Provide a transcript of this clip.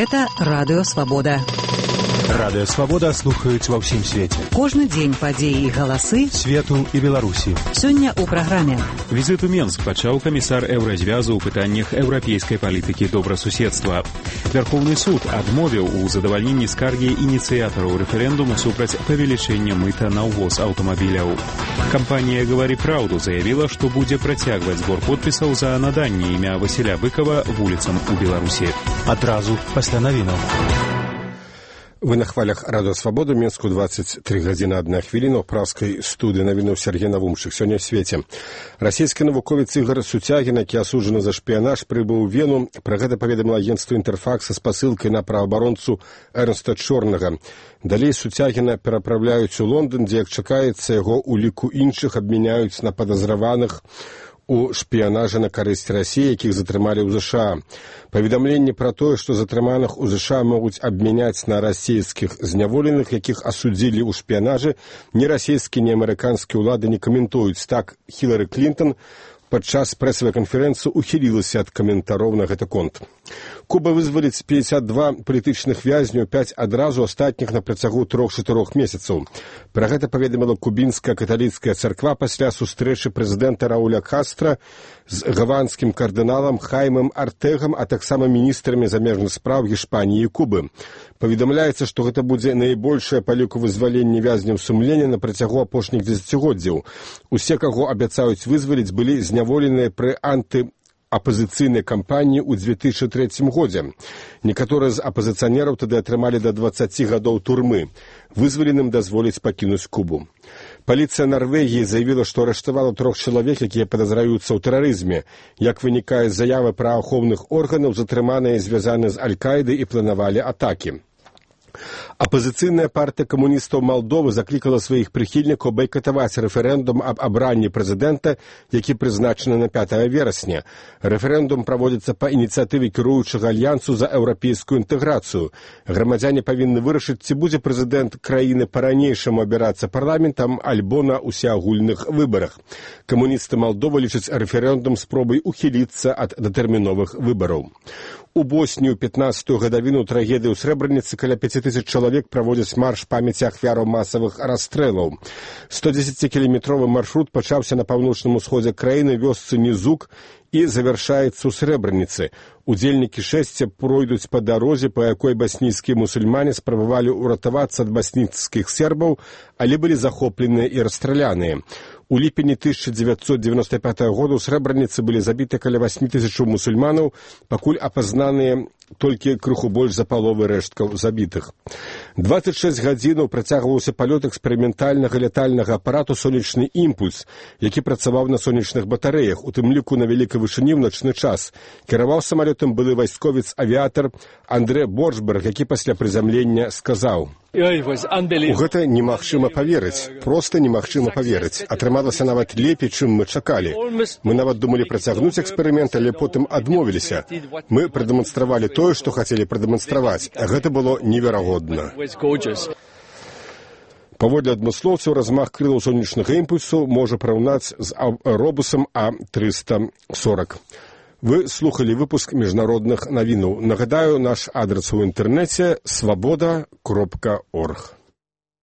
Гэта Радыё Свабода. Радыё Свабода слухаюць ва ўсім свеце. Кожны дзень падзеі і галасы свету і Беларусі. Сёння ў праграме. Візит у Менск пачаў камісар Еўразвязу ў пытаннях еўрапейскай палітыкі добрасуседства. Вярхоўны суд адмовіў у задавальненні скаргі ініцыятараў рэферэндуму супраць павелічэння мыта на ўвоз аўтамабіляў. Кампанія «Гавары праўду» заявіла, што будзе працягваць збор подпісаў за наданне імя Васіля Быкова вуліцам у Беларусі. Адразу пасля навінаў. Вы на хвалях Радыё Свабода, Менску 23 гадзіны 1 хвіліна, ў праўскай студыі навінуў Сергей Навумшык. Сёння ў свеце. Расійскі навуковец Ігор Суцягін, які асуджаны за шпіянаж, прыбыў у Вену. Пра гэта паведаміла агенцтва «Інтэрфакс» са спасылкай на праваабаронцу Эрнста Чорнага. Далей Суцягіна перапраўляюць у Лондан, дзе, як чакаецца, яго у ліку іншых абмяняюць на падазраваных у шпіянажа на карысць Расіі, якіх затрымалі ў ЗША. Паведамленні пра тое, што затрыманых у ЗША могуць абмяняць на расійскіх зняволеных, якіх асудзілі ў шпіянажы, ні расійскія, ні амерыканскія ўлады не каментуюць. Так, Хілары Клінтон падчас прэсавай канферэнцыі ухілілася ад каментароў на гэты конт. Куба вызваліць 52 палітычных вязняў, 5 адразу, астатніх на працягу 3-4 месяцаў. Пра гэта паведаміла кубінская каталіцкая царква пасля сустрэчы прэзідэнта Рауля Кастра з гаванскім кардыналам Хаймем Артэгам, а таксама міністрамі замежных спраў Гішпаніі і Кубы. Паведамляецца, што гэта будзе найбольшае па ліку вызвалення вязняў сумлення на працягу апошніх дзесяцігоддзяў. Усе, каго абяцаюць вызваліць, былі зняволеныя пры антыапазіцыйнай кампаніі ў 2003 годзе. Некаторыя з апазіцыянераў тады атрымалі да 20 гадоў турмы. Вызваленым дазволіць пакінуць Кубу. Паліцыя Нарвегіі заявіла, што арыштавала 3 чалавек, якія падазраюцца ў тэрарызме. Як вынікае з заявы праваахоўных органаў, затрыманыя звязаны з Аль-Каідай і планавалі атакі. Апазіцыйная партыя камуністаў Малдовы заклікала сваіх прыхільнікаў байкатаваць рэферэндум аб абранні прэзідэнта, які прызначаны на 5 верасня. Рэферэндум праводзіцца па ініцыятыве кіруючага альянсу за еўрапейскую інтэграцыю. Грамадзяне павінны вырашыць, ці будзе прэзідэнт краіны па-ранейшаму абірацца парламентам альбо на ўсеагульных выбарах. Камуністы Малдовы лічаць рэферэндум спробай ухіліцца ад датэрміновых выбараў. У Боснію 15-ю гадавіну трагедыі ў Срэбраніцы каля 5000 чалавек праводзяць марш памяці ахвяраў масавых расстрэлаў. 110-кіламетровы маршрут пачаўся на паўночным усходзе краіны, вёсцы Нізук, і завяршаецца ў Срэбраніцы. Удзельнікі шэсця пройдуць па дарозе, па якой баснійскія мусульмане спрабавалі ўратавацца ад баснійскіх сербаў, але былі захопленыя і расстраляныя. У ліпені 1995 года ў Срэбраніцы былі забіты каля 8000 мусульманаў, пакуль апазнаныя толькі крыху больш за паловы рэшткаў забітых. 26 гадзінаў працягваўся палёт эксперыментальнага лятальнага апарату «Сонечны імпульс», які працаваў на сонечных батарэях, у тым ліку на вялікай вышыні ў начны час. Кіраваў самалётам былы вайсковец-авіятар Андре Боршберг, які пасля прызямлення сказаў: «У гэта немагчыма паверыць, проста немагчыма паверыць. Атрымалася нават лепей, чым мы чакалі. Мы нават думалі працягнуць эксперымент, але потым адмовіліся. Мы прадэманстравалі тое, што хацелі прадэманстраваць, а гэта было неверагодна». Паводле адмыслоўцаў, размах крылаў сонечнага імпульсу можа параўнаць з робусам А-340. Вы слухали выпуск міжнародных навінаў. Нагадаю, наш адрес у інтэрнэце свабода.орг.